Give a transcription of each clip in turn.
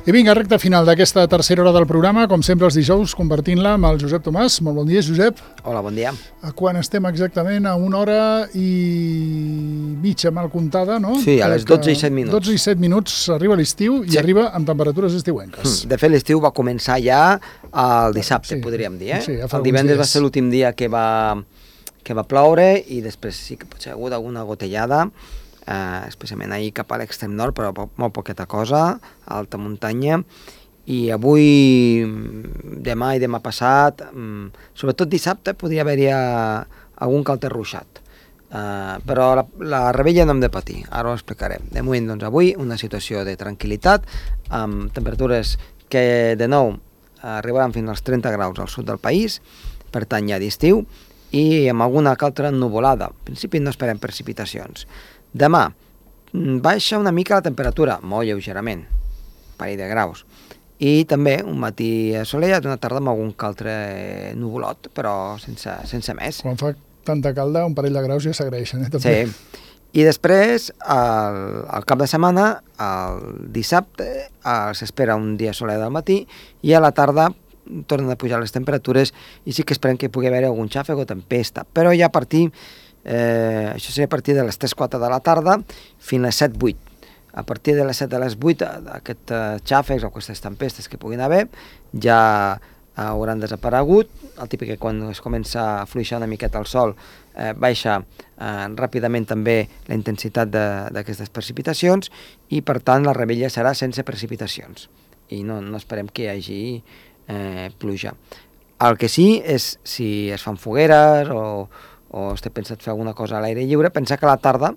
I vinga, recta final d'aquesta tercera hora del programa, com sempre els dijous, compartint-la amb el Josep Tomàs. Molt bon dia, Josep. Hola, bon dia. Quan estem exactament a 1 hora i mitja mal comptada, no? Sí, a les 12 i 7 minuts. 12 i 7 minuts arriba l'estiu i arriba amb temperatures estiuenques. De fet, l'estiu va començar ja el dissabte, podríem dir. Sí, el divendres va ser l'últim dia que va ploure i després sí que potser ha hagut alguna gotellada, especialment ahir cap a l'extrem nord, però molt poqueta cosa, a alta muntanya, i avui, demà i demà passat, sobretot dissabte, podria haver-hi algun calter ruixat. Però la rebella no hem de patir, ara ho explicarem. De moment, doncs, avui, una situació de tranquil·litat, amb temperatures que, de nou, arribaran fins als 30 graus al sud del país, per tant, ja d'estiu, i amb alguna altra nuvolada. En principi no esperem precipitacions. Demà, baixa una mica la temperatura, molt lleugerament, un parell de graus, i també un matí assolellat, una tarda amb algun altre nuvolot, però sense més. Quan fa tanta calda, un parell de graus ja s'agraeixen, també. Sí, i després, al cap de setmana, el dissabte, s'espera un dia assolellat al matí, i a la tarda tornen a pujar les temperatures, i sí que esperem que pugui haver algun xàfec o tempesta, però ja a partir... això seria a partir de les 3-4 de la tarda fins a les 7-8. A partir de les 7 a les 8 aquests xàfecs o aquestes tempestes que puguin haver ja hauran desaparegut. El típic que quan es comença a fluixar una miqueta el sol baixa ràpidament també la intensitat d'aquestes precipitacions i per tant la rebella serà sense precipitacions i no esperem que hi hagi pluja. El que sí és si es fan fogueres o estic pensat fer alguna cosa a l'aire lliure, pensar que a la tarda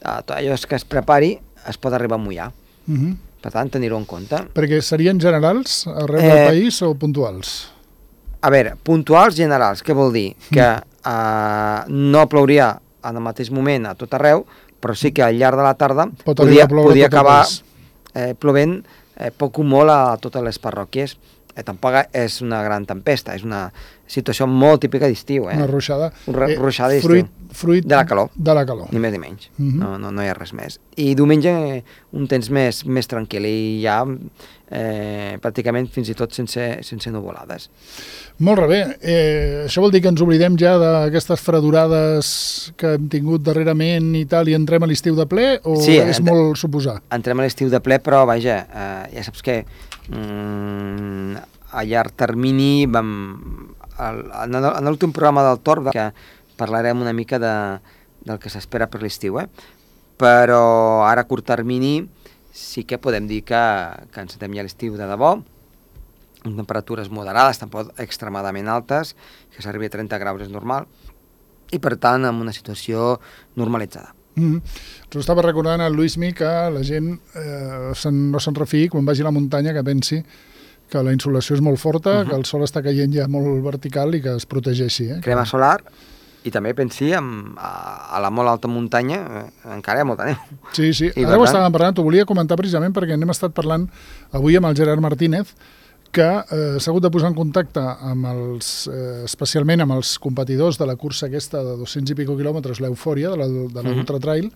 tot allò que es prepari es pot arribar a mullar. Per tant, tenir-ho en compte. Perquè serien generals arreu del país o puntuals? A veure, puntuals generals, què vol dir? Que no plouria en el mateix moment a tot arreu, però sí que al llarg de la tarda podia acabar plovent poc o molt a totes les parròquies. Tampoc és una gran tempesta, és una situació molt típica d'estiu. Una ruixada. Ruixada d'estiu. Fruit de la calor. De la calor. Ni més ni menys. No hi ha res més. I diumenge un temps més tranquil i ja pràcticament fins i tot sense nuvolades. Molt bé. Això vol dir que ens oblidem ja d'aquestes fredurades que hem tingut darrerament i tal i entrem a l'estiu de ple o sí, és molt suposar? Entrem a l'estiu de ple, però vaja, ja saps que a llarg termini en l'últim programa del Torb que parlarem una mica del que s'espera per l'estiu, però ara a curt termini sí que podem dir que encetem ja l'estiu de debò, amb temperatures moderades, tampoc extremadament altes, que s'arribi a 30 graus és normal, i per tant amb una situació normalitzada. Ens ho estava recordant el Luismi que la gent no se'n refiï quan vagi a la muntanya que pensi que la insolació és molt forta, que el sol està caient ja molt vertical i que es protegeixi. Crema solar i també pensi a la molt alta muntanya encara hi ha molta neu. Sí, ara ho estàvem parlant, t'ho volia comentar precisament perquè n'hem estat parlant avui amb el Gerard Martínez que s'ha hagut de posar en contacte amb especialment amb els competidors de la cursa aquesta de 200 i pico quilòmetres, l'Eufòria, de l'Ultra Trail,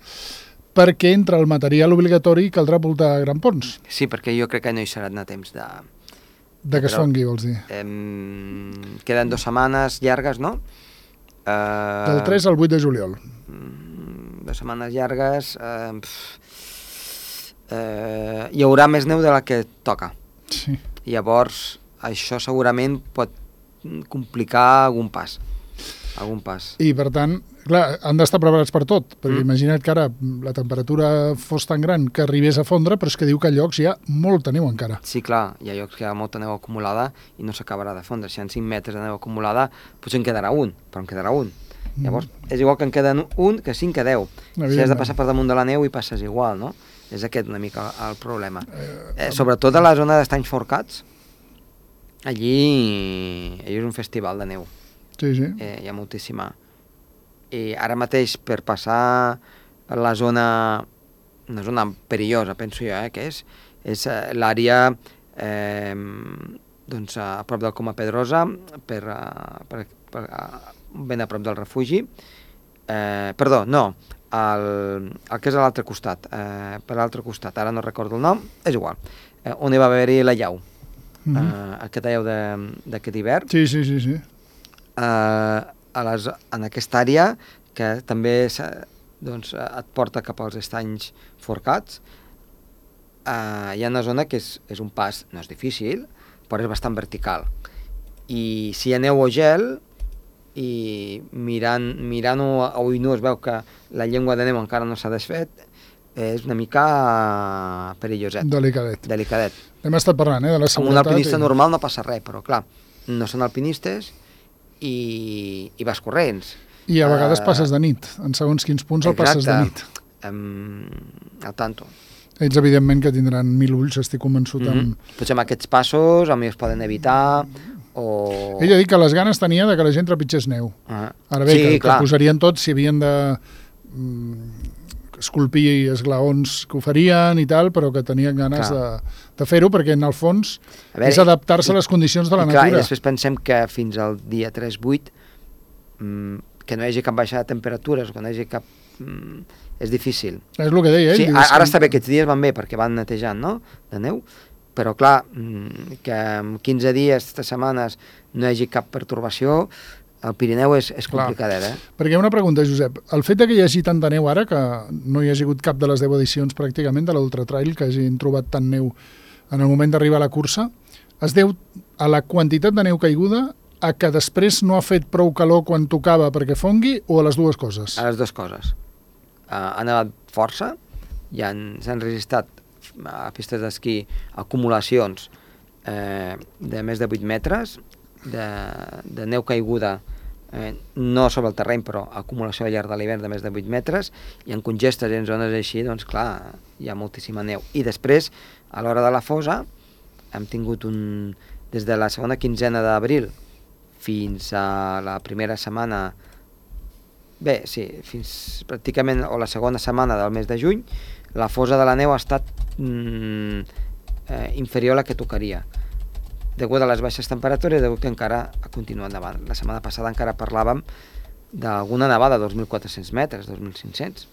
perquè entre el material obligatori caldrà voltar grampons. Sí, perquè jo crec que no hi serà a temps de que es fongui, vols dir? Queden 2 setmanes llargues, no? Del 3 al 8 de juliol. 2 setmanes llargues. Hi haurà més neu de la que toca. Sí. Llavors, això segurament pot complicar algun pas. I per tant, clar, han d'estar preparats per tot, perquè imagina't que ara la temperatura fos tan gran que arribés a fondre, però és que diu que a llocs hi ha molta neu encara. Sí, clar, hi ha llocs que hi ha molta neu acumulada i no s'acabarà de fondre. Si hi ha 5 metres de neu acumulada, potser en quedarà un, però en quedarà un. Llavors, és igual que en queden un que 5 que 10. Si has de passar per damunt de la neu i passes igual, no? És aquest una mica el problema. Sobretot a la zona d'Estanys Forcats, allí és un festival de neu. Sí. Hi ha moltíssima. I ara mateix per passar la zona, una zona perillosa, penso jo, que és l'àrea doncs a prop del Coma Pedrosa, ben a prop del refugi. Perdó, no, el que és a l'altre costat, per l'altre costat, ara no recordo el nom, és igual. on hi va haver-hi la llau, aquesta llau d'aquest hivern. Sí. En aquesta àrea, que també et porta cap als estanys forcats, hi ha una zona que és un pas, no és difícil, però és bastant vertical. I si hi ha neu o gel, i mirant-ho a ull nu es veu que la llengua de neu encara no s'ha desfet, és una mica perilloset. Delicadet. Hem estat parlant, de la seguretat. Amb un alpinista normal no passa res, però clar, no són alpinistes i vas corrents. I a vegades passes de nit, en segons quins punts el passes de nit. Al tanto. Ells, evidentment, que tindran 1000 ulls, estic convençut. Potser amb aquests passos a mi es poden evitar, o... Ell ha dit que les ganes tenia de que la gent trepitgés neu. Ara bé, que posarien tots si havien de esculpir esglaons que ho farien i tal, però que tenien ganes de fer-ho, perquè en el fons és adaptar-se a les condicions de la natura. I després pensem que fins al dia 3-8 que no hi hagi cap baixada de temperatures, que no hi hagi cap... és difícil. És el que deia ell. Sí, ara està bé, aquests dies van bé perquè van netejant, no?, de neu, però clar, que en 15 dies, 3 setmanes, no hi hagi cap pertorbació, el Pirineu és complicadet, Perquè una pregunta, Josep. El fet que hi hagi tanta neu ara, que no hi hagi hagut cap de les 10 edicions pràcticament de l'Ultratrail, que hagin trobat tant neu en el moment d'arribar a la cursa, es deu a la quantitat de neu caiguda, a que després no ha fet prou calor quan tocava perquè fongui, o a les dues coses? A les dues coses. Ha nevat força, s'han registrat a pistes d'esquí acumulacions de més de 8 metres de neu caiguda, no sobre el terreny, però acumulació al llarg de l'hivern de més de 8 metres, i en congestes i en zones així, doncs clar, hi ha moltíssima neu. I després, a l'hora de la fosa, hem tingut des de la segona quinzena d'abril fins a la primera setmana, fins pràcticament, o la segona setmana del mes de juny, la fosa de la neu ha estat inferior a la que tocaria, degut a les baixes temperatures, degut que encara ha continuat nevant. La setmana passada encara parlàvem d'alguna nevada de 2.400 metres, 2.500.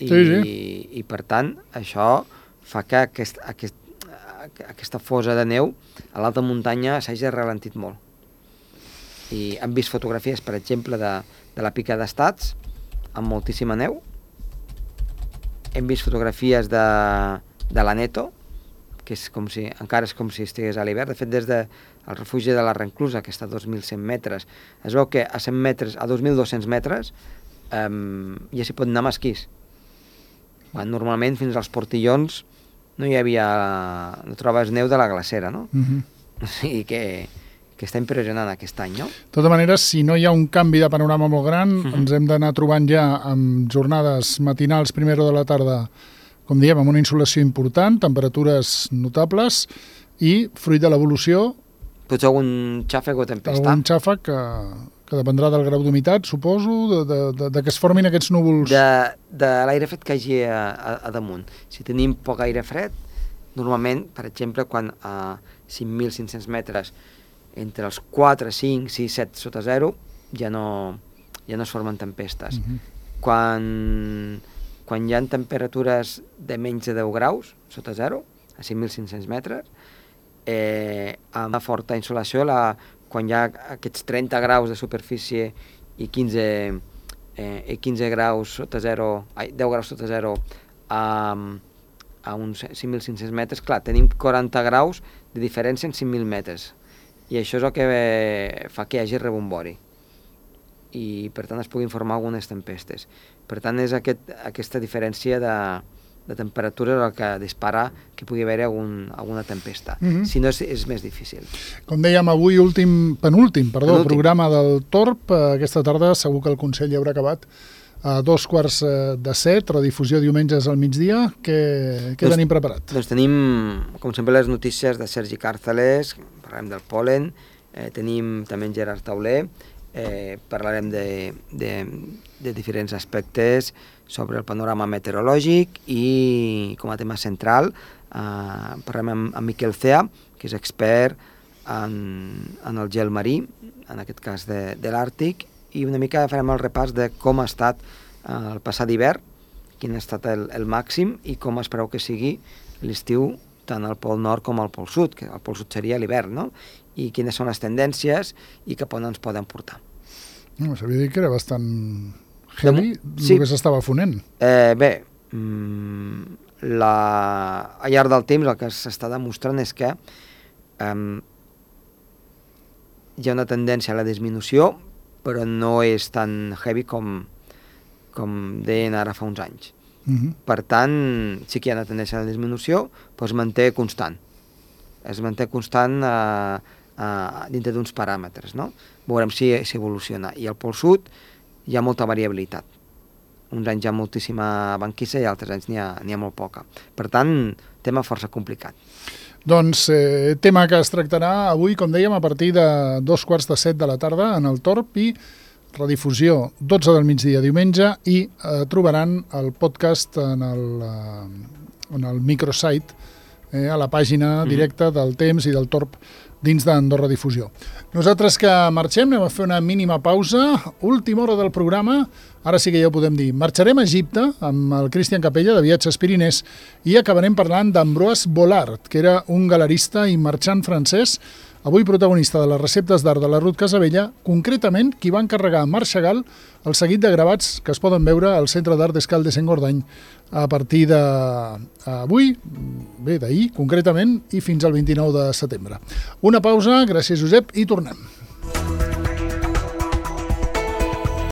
I per tant, això fa que aquesta fosa de neu a l'alta muntanya s'hagi ralentit molt. I hem vist fotografies, per exemple, de la Pica d'Estats, amb moltíssima neu. Hem vist fotografies de l'Aneto, que encara és com si estigués a l'hivern. De fet, des del refugi de la Renclusa, que està a 2.100 metres, es veu que a 100 metres, a 2.200 metres, ja s'hi pot anar amb esquís. Normalment, fins als Portillons, no trobes neu de la glacera, no? O sigui que està impressionant aquest any, no? De tota manera, si no hi ha un canvi de panorama molt gran, ens hem d'anar trobant ja amb jornades matinals, primera hora de la tarda, com diem, amb una insolació important, temperatures notables i, fruit de l'evolució... Potser algun xàfec o tempesta. Algun xàfec que dependrà del grau d'humitat, suposo, de que es formin aquests núvols... De l'aire fred que hi hagi a damunt. Si tenim poc aire fred, normalment, per exemple, quan a 5.500 metres, entre els 4, 5, 6, 7 sota 0, ja no es formen tempestes. Quan hi ha temperatures de menys de 10 graus, sota 0, a 5.500 metres, amb una forta insolació, quan hi ha aquests 30 graus de superfície i 15 graus sota 0, 10 graus sota 0 a uns 5.500 metres, clar, tenim 40 graus de diferència en 5.000 metres. I això és el que fa que hi hagi rebombori. I, per tant, es puguin formar algunes tempestes. Per tant, és aquesta diferència de temperatura el que dispara que pugui haver alguna tempesta. Si no, és més difícil. Com dèiem, avui penúltim programa del Torb. Aquesta tarda segur que el Consell ja haurà acabat a 6:45, redifusió diumenges al migdia. Què tenim preparat? Doncs tenim, com sempre, les notícies de Sergi Càrceles, parlarem del pol·len, tenim també en Gerard Tauler, parlarem de diferents aspectes sobre el panorama meteorològic i, com a tema central, parlarem amb Miquel Cea, que és expert en el gel marí, en aquest cas de l'Àrtic, i una mica farem el repàs de com ha estat el passat hivern, quin ha estat el màxim i com es preveu que sigui l'estiu tant al Pol Nord com al Pol Sud, que el Pol Sud seria l'hivern, no? I quines són les tendències i cap on ens poden portar. No, s'havia dit que era bastant heavy el que s'estava fonent. Bé, al llarg del temps el que s'està demostrant és que hi ha una tendència a la disminució, però no és tan heavy com deien ara fa uns anys. Per tant, sí que hi ha una tendència a la disminució, però es manté constant. Es manté constant dintre d'uns paràmetres, no? Veurem si evoluciona. I al Pol Sud hi ha molta variabilitat. Uns anys hi ha moltíssima banquissa i altres anys n'hi ha molt poca. Per tant, tema força complicat. Doncs tema que es tractarà avui, com dèiem, a partir de 6:45 de la tarda en el Torb i redifusió 12 del migdia diumenge i trobaran el podcast en el microsite, a la pàgina directa del Temps i del Torb dins d'Andorra Difusió. Nosaltres que marxem, anem a fer una mínima pausa, última hora del programa, ara sí que ja ho podem dir. Marxarem a Egipte amb el Cristian Capella de Viatges Pirinès i acabarem parlant d'Ambroise Vollard, que era un galerista i marxant francès, avui protagonista de les receptes d'art de la Ruth Casabella, concretament qui va encarregar a Marc Chagall el seguit de gravats que es poden veure al Centre d'Art d'Escaldes en Gordany a partir d'avui, d'ahir concretament, i fins al 29 de setembre. Una pausa, gràcies Josep, i tornem.